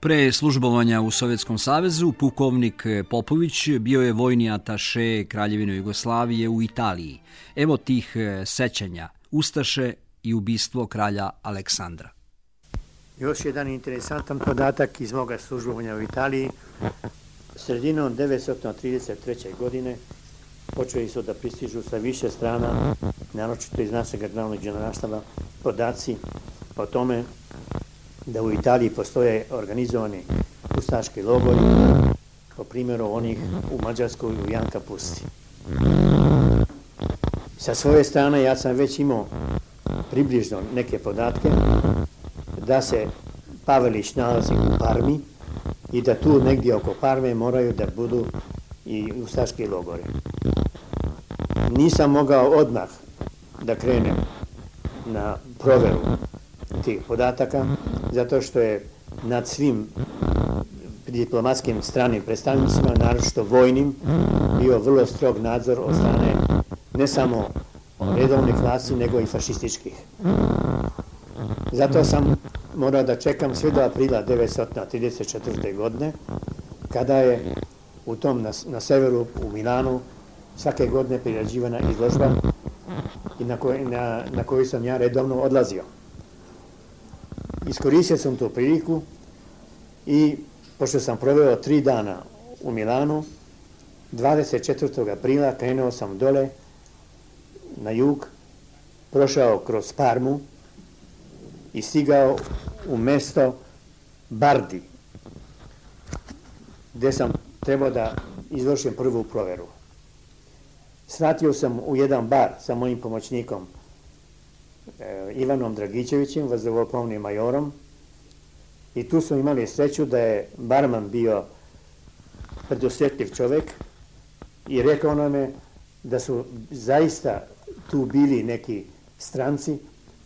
Pre službovanja u Sovjetskom savezu, pukovnik Popović bio je vojni ataše Kraljevine Jugoslavije u Italiji. Evo tih sećanja, ustaše i ubistvo kralja Aleksandra. Još jedan interesantan podatak iz moga službovanja u Italiji. Sredinom 1933. godine počeli su da pristižu sa više strana, naročito iz našeg glavnog generalštaba, podaci o tome da u Italiji postoje organizovani ustaški logori, po primjeru onih u Mađarskoj u Janka Pusti. Sa svoje strane ja sam već imao približno neke podatke da se Pavelić nalazi u Parmi i da tu negdje oko Parme moraju da budu i ustaški logori. Nisam mogao odmah da krenem na proveru tih podataka, zato što je nad svim diplomatskim stranim predstavnicima, naročito vojnim, bio vrlo strog nadzor od strane ne samo redovnih vlasti, nego i fašističkih. Zato sam morao da čekam sve do aprila 1934. godine, kada je u tom na severu, u Milanu, svake godine priređivana izložba i na koju sam ja redovno odlazio. Iskoristio sam tu priliku i pošto sam proveo 3 dana u Milanu, 24. aprila krenuo sam dole na jug, prošao kroz Parmu i stigao u mesto Bardi, gdje sam trebao da izvršim prvu proveru. Svratio sam u jedan bar sa mojim pomoćnikom Ivanom Dragićevićem, vazduhoplovnim majorom, i tu smo imali sreću da je barman bio predosjetljiv čovjek i rekao nam je da su zaista tu bili neki stranci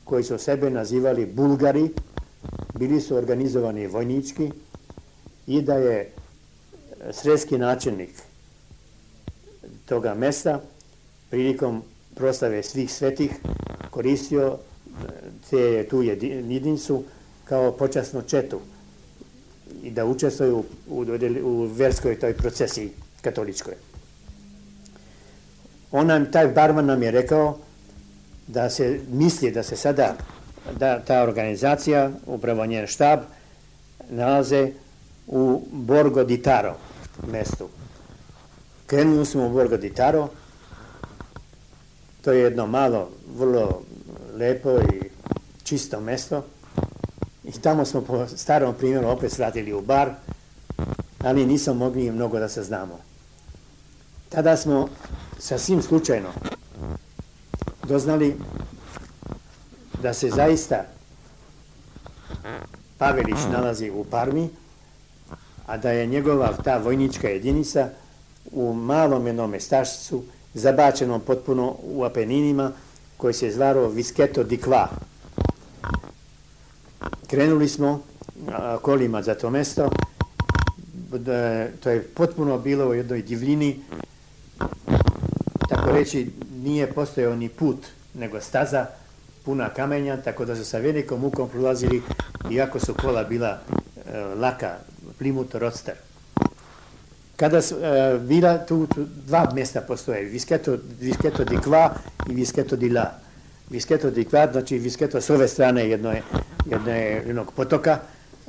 koji su sebe nazivali Bulgari, bili su organizovani vojnički i da je sredski načelnik toga mesta prilikom proslave svih svetih koristio tu jedinicu kao počasnu četu i da učestvuju u verskoj toj procesiji katoličkoj. Taj barman nam je rekao da se misli da se sada ta organizacija, upravo njen štab, nalaze u Borgo di Taro mestu. Krenuli smo u Borgo di Taro. To je jedno malo, vrlo lepo i čisto mesto. I tamo smo po starom primjeru opet svratili u bar, ali nismo mogli mnogo da se znamo. Tada smo sasvim slučajno doznali da se zaista Pavelić nalazi u Parmi, a da je njegova ta vojnička jedinica u malom jednom mestašcu, zabačenom potpuno u Apeninima, koji se zvao Vischetto di Qua. Krenuli smo kolima za to mesto, to je potpuno bilo u jednoj divljini, tako reći nije postojao ni put, nego staza puna kamenja, tako da su sa velikom mukom prolazili, iako su kola bila laka, Plymouth Roadster. Kada su bila tu 2 mjesta postoje, Vischetto di Qua i Vischetto di La. Vischetto di Qua, znači Vischetto s ove strane jednog potoka,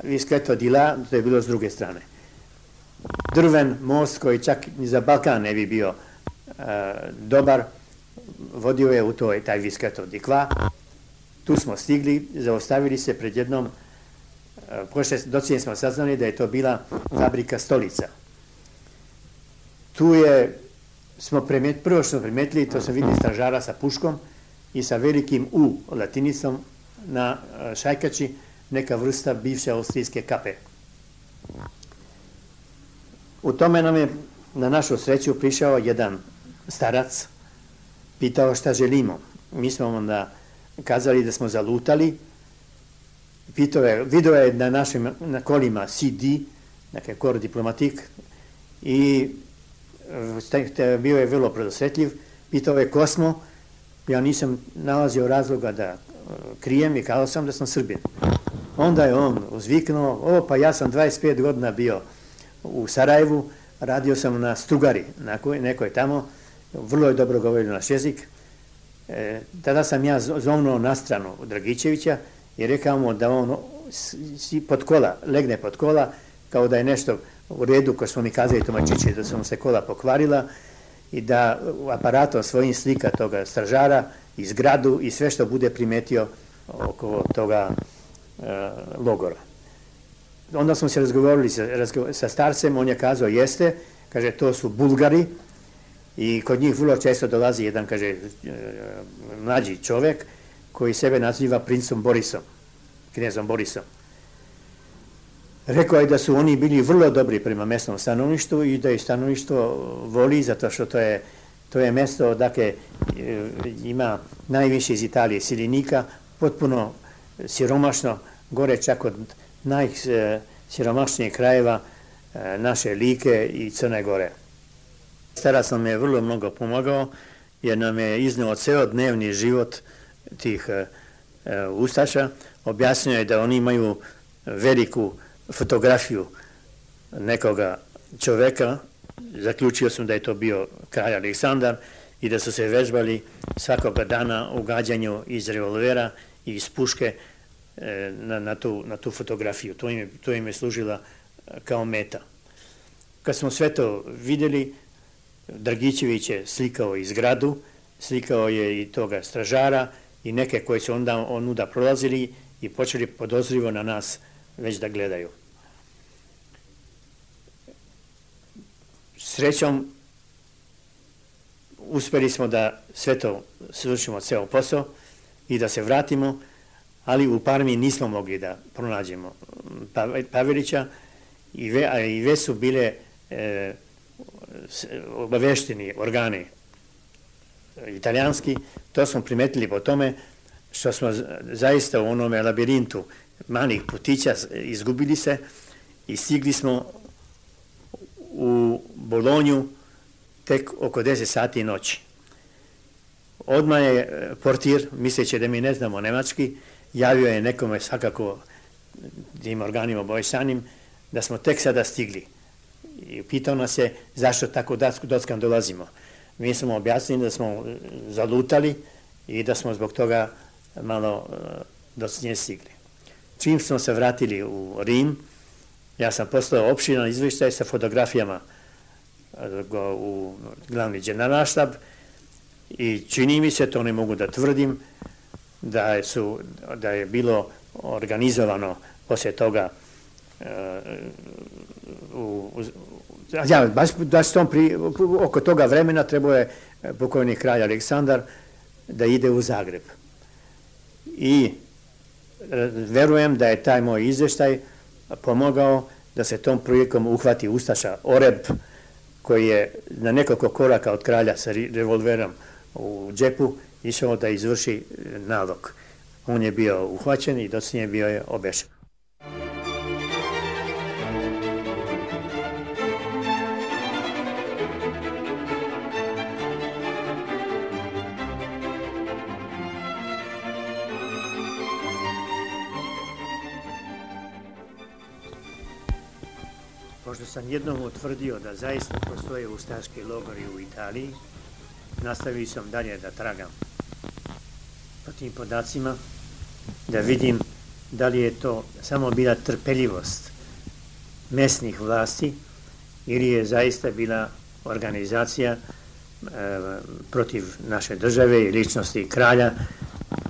Vischetto di La, to je bilo s druge strane. Drven most koji čak ni za Balkan ne bi bio dobar, vodio je u taj Vischetto di Qua. Tu smo stigli, zaustavili se pred jednom, docnije smo saznali da je to bila fabrika stolica. Tu prvo što smo primetili, to smo vidjeli stražara sa puškom i sa velikim U latinicom na šajkači, neka vrsta bivše austrijske kape. U tome nam je na našu sreću prišao jedan starac, pitao šta želimo. Mi smo onda kazali da smo zalutali, video je na kolima CD, dakle kor diplomatik, i bio je vrlo predosjetljiv, pitao je ko smo, ja nisam nalazio razloga da krijem i kazao sam da sam Srbin. Onda je on uzviknuo, pa ja sam 25 godina bio u Sarajevu, radio sam na Strugari, nekoj tamo, vrlo je dobro govorio naš jezik. Tada sam ja zovnuo na stranu Dragičevića i rekao mu da on legne pod kola, kao da je nešto u redu, ko smo mi kazali tumačići, da su mu se kola pokvarila i da aparatom svojim slika toga stražara i zgradu i sve što bude primetio oko toga logora. Onda smo se razgovorili sa starcem, on je kazao jeste, kaže to su Bulgari i kod njih vrlo često dolazi jedan, kaže, mlađi čovjek koji sebe naziva princom Borisom, knezom Borisom. Rekao je da su oni bili vrlo dobri prema mjesnom stanovništvu i da je stanovništvo voli zato što to je mjesto, dakle, ima najviše iz Italije siljenika, potpuno siromašno, gore čak od najsiromašnijih krajeva naše Like i Crne Gore. Starac nam je vrlo mnogo pomogao jer nam je iznio ceo dnevni život tih ustaša. Objasnio je da oni imaju veliku fotografiju nekoga čoveka. Zaključio sam da je to bio kralj Aleksandar i da su se vežbali svakoga dana u gađanju iz revolvera i iz puške na tu fotografiju. To im je služila kao meta. Kad smo sve to vidjeli, Dragičević je slikao i zgradu, slikao je i toga stražara i neke koji su onda prolazili i počeli podozrivo na nas već da gledaju. Srećom, uspjeli smo da sve to svršimo ceo posao i da se vratimo, ali u Parmi nismo mogli da pronađemo Pavelića i već su bile obavešteni organi italijanski. To smo primetili po tome što smo zaista u onome labirintu malih putića izgubili se i stigli smo u Bolonju tek oko 10 sati noći. Odmah je portir, misleći da mi ne znamo nemački, javio je nekome svakako tim organima obavještajnim da smo tek sada stigli. I pitao nas je zašto tako dockan dolazimo. Mi smo objasnili da smo zalutali i da smo zbog toga malo docnije stigli. Čim smo se vratili u Rim, ja sam poslao opširan izvještaj sa fotografijama u glavni generalštab i čini mi se, to ne mogu da tvrdim, da je bilo organizovano poslije toga oko toga vremena trebao je pokojni kralj Aleksandar da ide u Zagreb. I verujem da je taj moj izvještaj pomogao da se tom prilikom uhvati ustaša Oreb, koji je na nekoliko koraka od kralja sa revolverom u džepu išao da izvrši nalog. On je bio uhvaćen i docnije bio je obešen. Pošto sam jednom utvrdio da zaista postoje ustaški logori u Italiji, nastavio sam dalje da tragam po tim podacima, da vidim da li je to samo bila trpeljivost mesnih vlasti ili je zaista bila organizacija protiv naše države i ličnosti kralja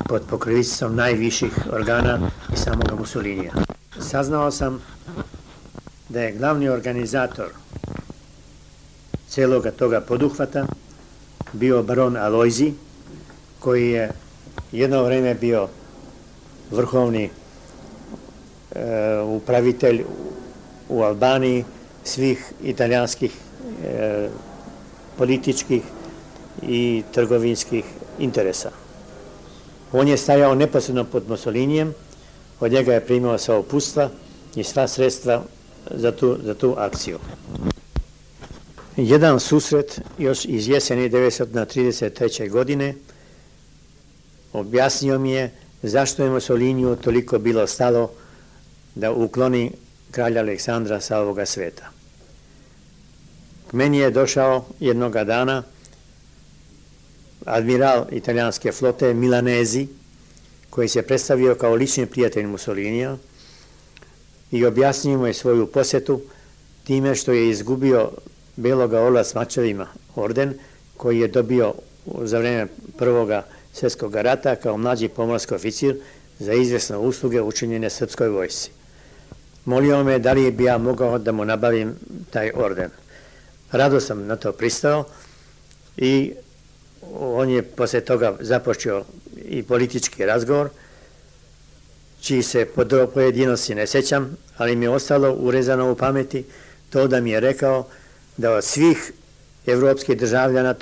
pod pokroviteljstvom najviših organa i samoga Mussolinija. Saznao sam da je glavni organizator celoga toga poduhvata bio baron Alojzi, koji je jedno vreme bio vrhovni upravitelj u Albaniji svih italijanskih političkih i trgovinskih interesa. On je stajao neposredno pod Mussolinijem, od njega je primao sva uputstva i sva sredstva za tu akciju. Jedan susret još iz jeseni 1933. godine objasnio mi je zašto je Mussoliniju toliko bilo stalo da ukloni kralja Aleksandra sa ovoga sveta. K meni je došao jednoga dana admiral italijanske flote Milanezi, koji se predstavio kao lični prijatelj Mussolinija i objasnio mu je svoju posjetu time što je izgubio Beloga orla s mačevima orden koji je dobio za vrijeme Prvoga svjetskog rata kao mlađi pomorski oficir za izvjesne usluge učinjene srpskoj vojsci. Molio me da li bi ja mogao da mu nabavim taj orden. Rado sam na to pristao i on je poslije toga započeo i politički razgovor, čiji se pojedinosti ne sjećam, ali mi je ostalo urezano u pameti to da mi je rekao da od svih evropskih državnika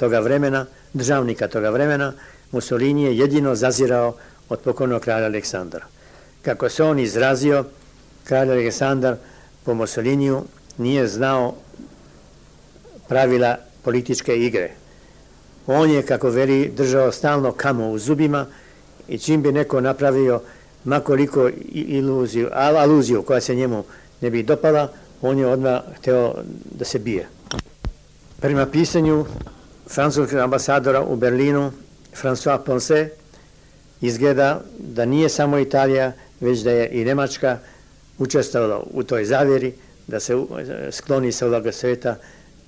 toga vremena, Mussolini je jedino zazirao od pokojnog kralja Aleksandra. Kako se on izrazio, kralj Aleksandar po Mussoliniju nije znao pravila političke igre. On je, kako veli, držao stalno kamo u zubima i čim bi neko napravio makoliko aluziju koja se njemu ne bi dopala, on je odmah hteo da se bije. Prema pisanju francuskog ambasadora u Berlinu, François Poncet, izgleda da nije samo Italija, već da je i Nemačka učestvovala u toj zavjeri da se skloni sa ovoga sveta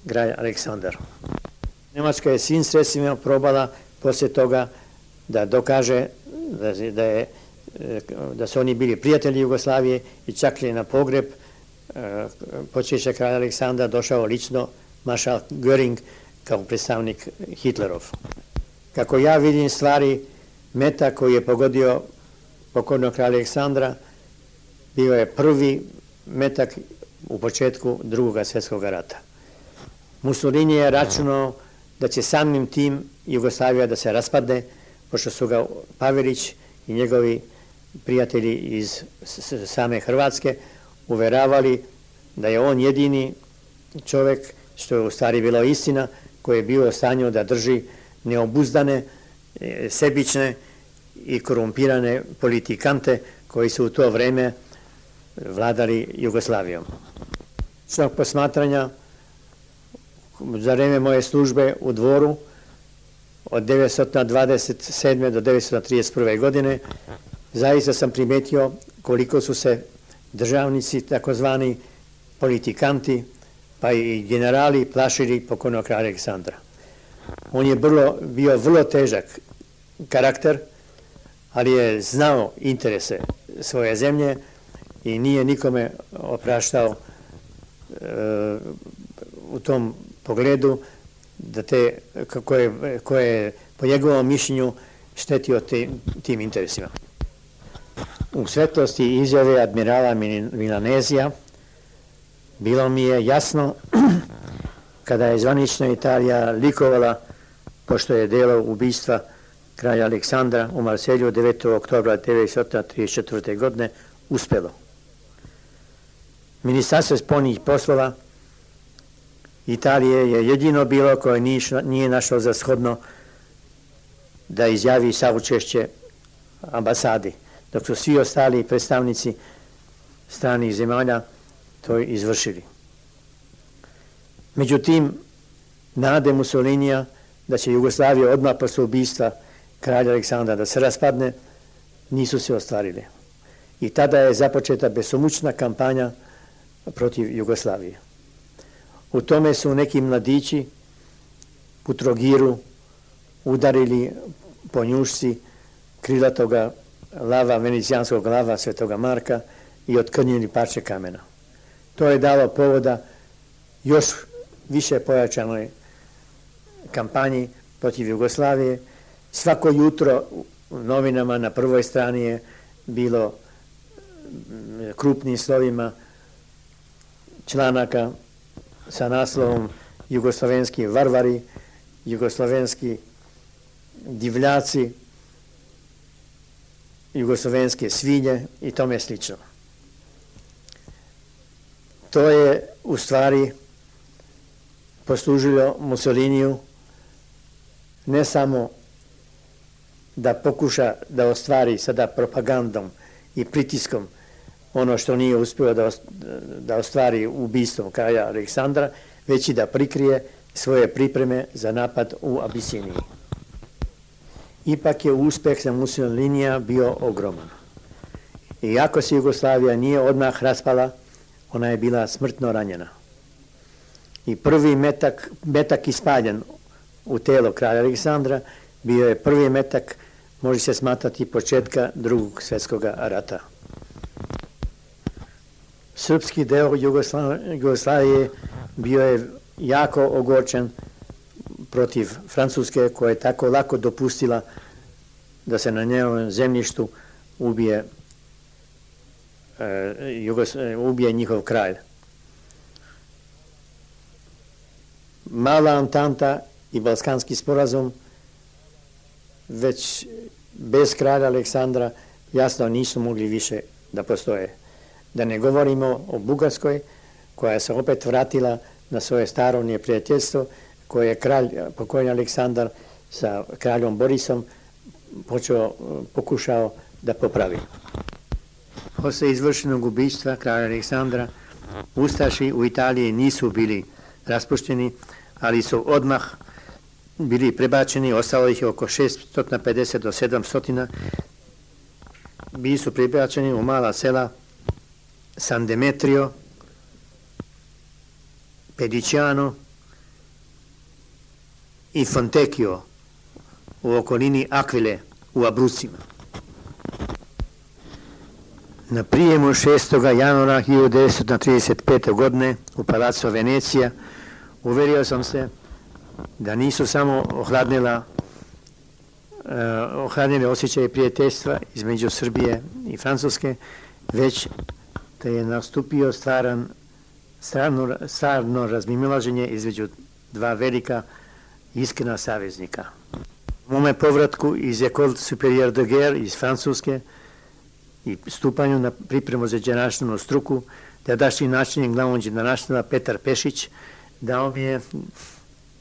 kralj Aleksandar. Nemačka je svim sredstvima probala poslije toga da dokaže da su oni bili prijatelji Jugoslavije i čak li na pogreb počeća kralja Aleksandra došao lično maršal Göring kao predstavnik Hitlerov. Kako ja vidim stvari, metak koji je pogodio pokojnog kralja Aleksandra bio je prvi metak u početku Drugog svjetskog rata. Mussolini je računao da će samim tim Jugoslavija da se raspadne, pošto su ga Pavelić i njegovi prijatelji iz same Hrvatske uveravali da je on jedini čovjek, što je u stvari bilo istina, koji je bio u stanju da drži neobuzdane, sebične i korumpirane politikante koji su u to vrijeme vladali Jugoslavijom. Svog posmatranja za vrijeme moje službe u dvoru od 1927. do 1931. godine zaista sam primijetio koliko su se državnici, takozvani politikanti, pa i generali plašili pokojnog kralja Aleksandra. On je bio vrlo težak karakter, ali je znao interese svoje zemlje i nije nikome opraštao u tom pogledu da koje po njegovom mišljenju štetio tim interesima. U svetlosti izjave admirala Milanezija bilo mi je jasno kada je zvanična Italija likovala pošto je delo ubistva kralja Aleksandra u Marselju 9. oktobra 1934. godine uspjelo. Ministarstvo spoljnih poslova Italije je jedino bilo koje nije našlo za shodno da izjavi saučešće ambasadi, dok su svi ostali predstavnici stranih zemalja to izvršili. Međutim, nade Mussolinija da će Jugoslavija odmah posle ubistva kralja Aleksandra da se raspadne, nisu se ostvarile. I tada je započeta besomučna kampanja protiv Jugoslavije. U tome su neki mladići u Trogiru udarili po njušci krilatoga lava, venecijanskog lava Svetoga Marka i otkrnjili parče kamena. To je dalo povoda još više pojačanoj kampanji protiv Jugoslavije. Svako jutro u novinama na prvoj strani je bilo krupnim slovima članaka sa naslovom Jugoslovenski varvari, jugoslovenski divljaci, jugoslovenske svinje i tome slično. To je u stvari poslužilo Mussoliniju ne samo da pokuša da ostvari sada propagandom i pritiskom ono što nije uspio da ostvari ubistvom kralja Aleksandra, već i da prikrije svoje pripreme za napad u Abisiniji. Ipak je uspeh za Mussolinija bio ogroman. Iako se Jugoslavija nije odmah raspala, ona je bila smrtno ranjena. I prvi metak ispaljen u telo kralja Aleksandra bio je prvi metak, može se smatrati, početka Drugog svjetskog rata. Srpski deo Jugoslavije bio je jako ogorčen protiv Francuske, koja je tako lako dopustila da se na njenom zemljištu ubije njihov kralj. Mala Antanta i Balkanski sporazum već bez kralja Aleksandra jasno nisu mogli više da postoje. Da ne govorimo o Bugarskoj, koja se opet vratila na svoje staro neprijateljstvo, koje je pokojni Aleksandar sa kraljom Borisom pokušao da popravi. Posle izvršenog ubistva kralja Aleksandra, ustaši u Italiji nisu bili raspušteni, ali su odmah bili prebačeni, ostalo ih je oko 650 do 700, bili su prebačeni u mala sela San Demetrio, Pediciano i Fontecchio u okolini Akvile u Abrucima. Na prijemu 6. januara 1935. godine u Palaco Venecija uverio sam se da nisu samo ohladnili osjećaje prijateljstva između Srbije i Francuske, već da je nastupio stvarno razmimoilaženje između dva velika iskrena saveznika. U mome povratku iz École Supérieure de Guerre iz Francuske i stupanju na pripremu za današnju struku, tadašnji načelnik glavnog generalštaba Petar Pešić dao mi je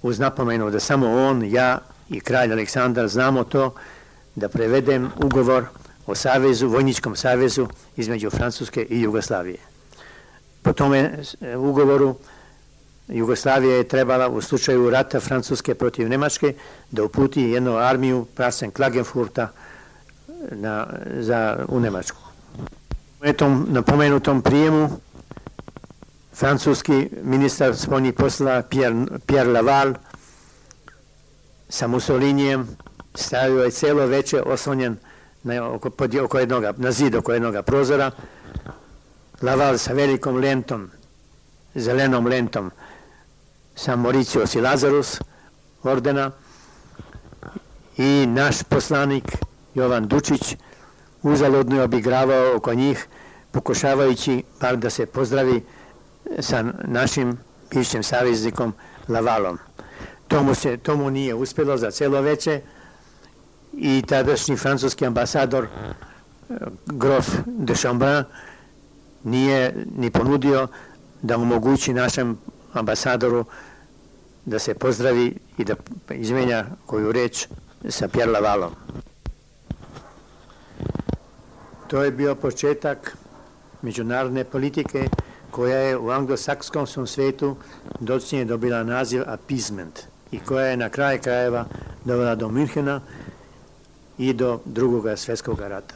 uz napomenu da samo on, ja i kralj Aleksandar znamo to, da prevedem ugovor o savezu, vojničkom savezu između Francuske i Jugoslavije. Po tome ugovoru Jugoslavija je trebala u slučaju rata Francuske protiv Nemačke da uputi jednu armiju prasen Klagenfurta u Nemačku. Na pomenutom prijemu francuski ministar spoljnih poslova Pierre Laval sa Mussolinijem stavio je celo veče oslonjen na zid oko jednog prozora. Laval sa velikom lentom, zelenom lentom, sa Mauritius i Lazarus ordena i naš poslanik Jovan Dučić uzaludno je obigravao oko njih, pokušavajući bar da se pozdravi sa našim bivšim saveznikom Lavalom. To mu nije uspjelo za celo veče i tadašnji francuski ambasador grof de Chambrin nije ni ponudio da omogući našem ambasadoru da se pozdravi i da izmenja koju reč sa Pierre Lavalom. To je bio početak međunarodne politike koja je u anglosaksonskom svetu dočnije dobila naziv appeasement i koja je na kraju krajeva dovela do Münchena i do Drugog svjetskog rata.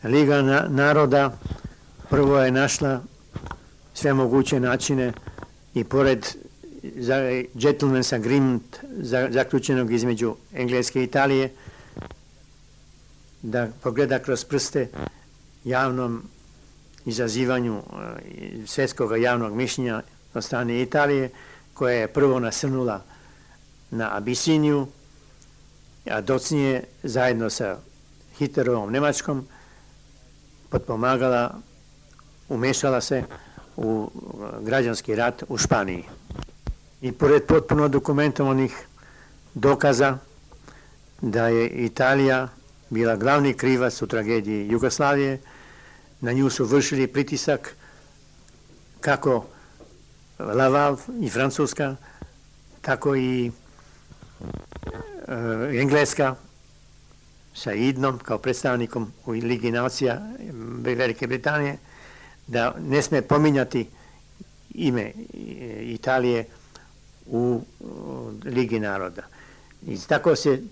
Liga naroda prvo je našla sve moguće načine i pored gentleman's agreement zaključenog između Engleske i Italije da pogleda kroz prste javnom izazivanju svjetskog javnog mišljenja od strane Italije, koja je prvo nasrnula na Abisiniju, a docnije zajedno sa Hitlerovom Nemačkom potpomagala, umešala se u građanski rat u Španiji. I pored potpuno dokumentovanih dokaza da je Italija bila glavni krivac u tragediji Jugoslavije, na nju su vršili pritisak kako Laval i Francuska, tako i Engleska sa Idnom kao predstavnikom u Ligi nacija Velike Britanije, da ne sme pominjati ime Italije u Ligi naroda. I tako se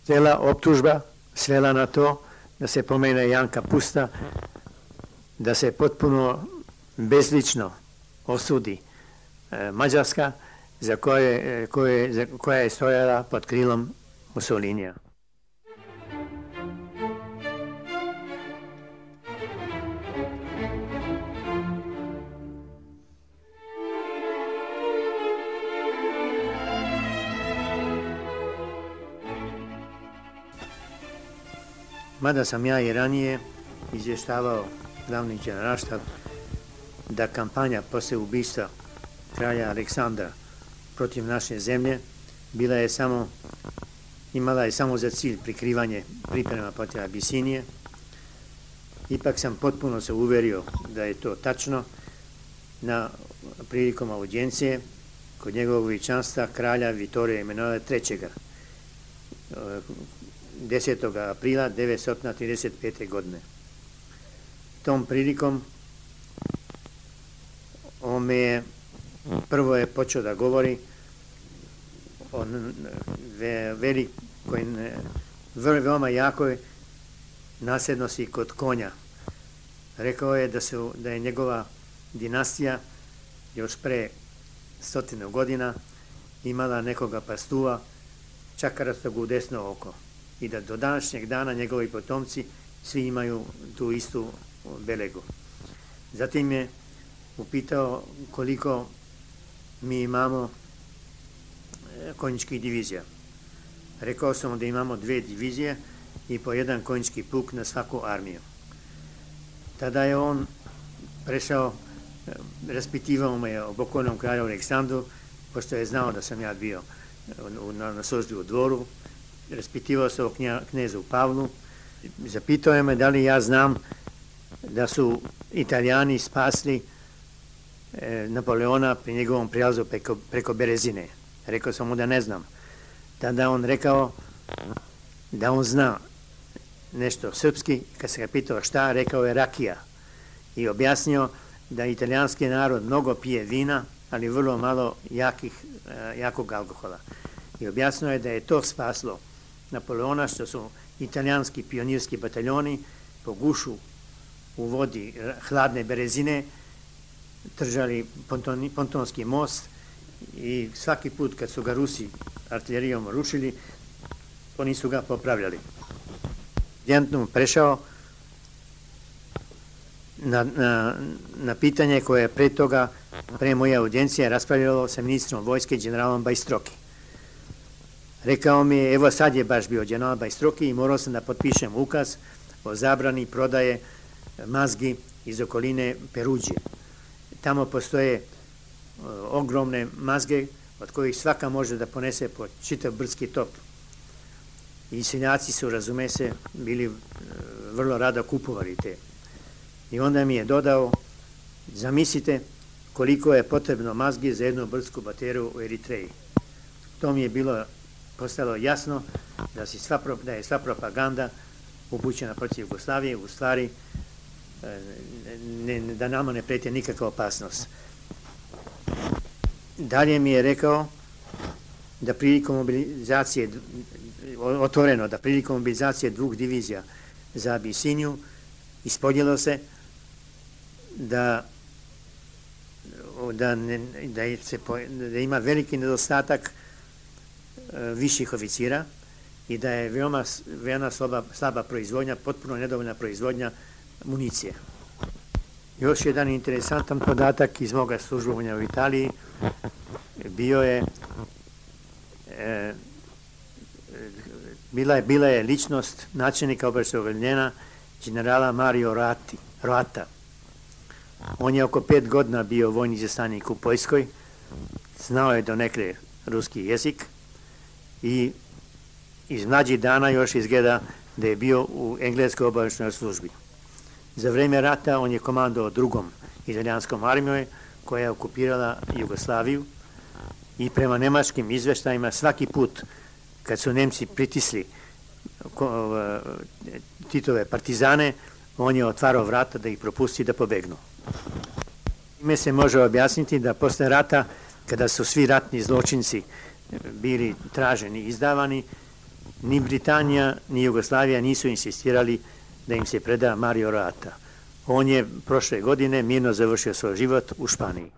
cela optužba svela na to da se pomene Janka Pusta, da se potpuno bezlično osudi Mađarska, koja je stojala pod krilom Mussolinija. Mada sam ja i ranije izvještavao glavni generalštab da kampanja posle ubistva kralja Aleksandra protiv naše zemlje imala je samo za cilj prikrivanje priprema protiv Abisinije. Ipak sam potpuno se uverio da je to tačno prilikom audijencije kod njegovog veličanstva kralja Vitorija Emanuela III. 10. aprila 1935. godine. Tom prilikom prvo je počeo da govori o veoma jakoj nasljednosti kod konja. Rekao je da je njegova dinastija još pre 100 godina imala nekoga pastuva čakarastog u desno oko i da do današnjeg dana njegovi potomci svi imaju tu istu belegu. Zatim je upitao koliko mi imamo konjičkih divizija. Rekao sam da imamo 2 divizije i po 1 konjički puk na svaku armiju. Tada je on prešao, raspitivao me o pokojnom kralju Aleksandru, pošto je znao da sam ja bio na službi u dvoru. Raspitivao se o knezu Pavlu. Zapitao je me da li ja znam da su Italijani spasli Napoleona pri njegovom prijelazu preko Berezine. Rekao sam mu da ne znam. Tada on rekao da on zna nešto srpski. Kad se ga pitao šta, rekao je rakija. I objasnio da italijanski narod mnogo pije vina, ali vrlo malo jakog alkohola. I objasnio je da je to spaslo Napoleona, što su italijanski pionirski bataljoni po gušu u vodi hladne Berezine držali pontonski most i svaki put kad su ga Rusi artiljerijom rušili, oni su ga popravljali. Djentnom prešao na pitanje koje je pre toga, pre moje audijencije, raspravljalo sa ministrom vojske, generalom Bajstroki. Rekao mi je, evo sad je baš bio general Bajstroki i morao sam da potpišem ukaz o zabrani prodaje mazgi iz okoline Peruđije. Tamo postoje ogromne mazge od kojih svaka može da ponese po čitav brdski top. I seljaci su, razume se, bili vrlo rado kupovali te. I onda mi je dodao, zamislite koliko je potrebno mazgi za jednu brdsku bateriju u Eritreji. To mi je postalo jasno da je sva propaganda upućena protiv Jugoslavije, u stvari da nama ne preti nikakva opasnost. Dalje mi je rekao da prilikom mobilizacije, otvoreno, da prilikom mobilizacije 2 divizija za Abisiniju ispoljilo se da ima veliki nedostatak viših oficira i da je veoma slaba proizvodnja, potpuno nedovoljna proizvodnja municije. Još jedan interesantan podatak iz moga službovanja u Italiji bila je ličnost načelnika obavještajnog generala Mario Roata. On je oko 5 godina bio vojni izaslanik u Poljskoj, znao je donekle ruski jezik i iz mlađih dana još izgleda da je bio u engleskoj obavještajnoj službi. Za vreme rata on je komandovao 2. italijanskom armijom koja je okupirala Jugoslaviju I prema nemačkim izveštajima svaki put kad su Nemci pritisli Titove partizane, on je otvarao vrata da ih propusti da pobegnu. Ime se može objasniti da posle rata, kada su svi ratni zločinci bili traženi i izdavani, ni Britanija ni Jugoslavija nisu insistirali da im se preda Mario Rata. On je prošle godine mirno završio svoj život u Španiji.